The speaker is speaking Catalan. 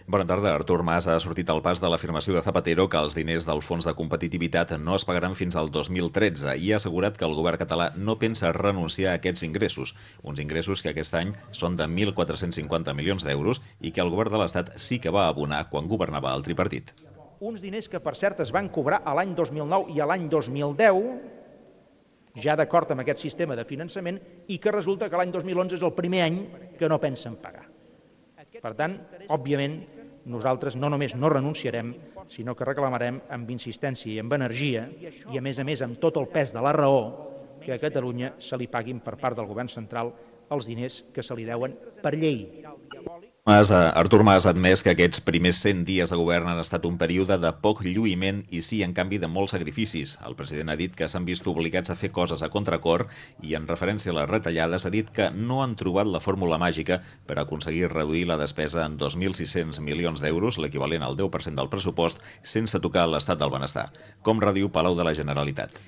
Bona tarda. Artur Mas ha sortit al pas de l'afirmació de Zapatero que els diners del Fons de Competitivitat no es pagaran fins al 2013 i ha assegurat que el govern català no pensa renunciar a aquests ingressos, uns ingressos que aquest any són de 1.450 milions d'euros i que el govern de l'Estat sí que va abonar quan governava el tripartit. Uns diners que, per cert, es van cobrar a l'any 2009 i a l'any 2010, ja d'acord amb aquest sistema de finançament, i que resulta que l'any 2011 és el primer any que no pensen pagar. Per tant, òbviament, nosaltres no només no renunciarem, sinó que reclamarem amb insistència i amb energia, i a més amb tot el pes de la raó, que a Catalunya se li paguin per part del govern central els diners que se li deuen per llei. Artur Mas ha admès que aquests primers 100 dies de govern han estat un període de poc lluïment i sí, en canvi, de molts sacrificis. El president ha dit que s'han vist obligats a fer coses a contracor i, en referència a les retallades, ha dit que no han trobat la fórmula màgica per aconseguir reduir la despesa en 2.600 milions d'euros, l'equivalent al 10% del pressupost, sense tocar l'estat del benestar. Com rediu Palau de la Generalitat.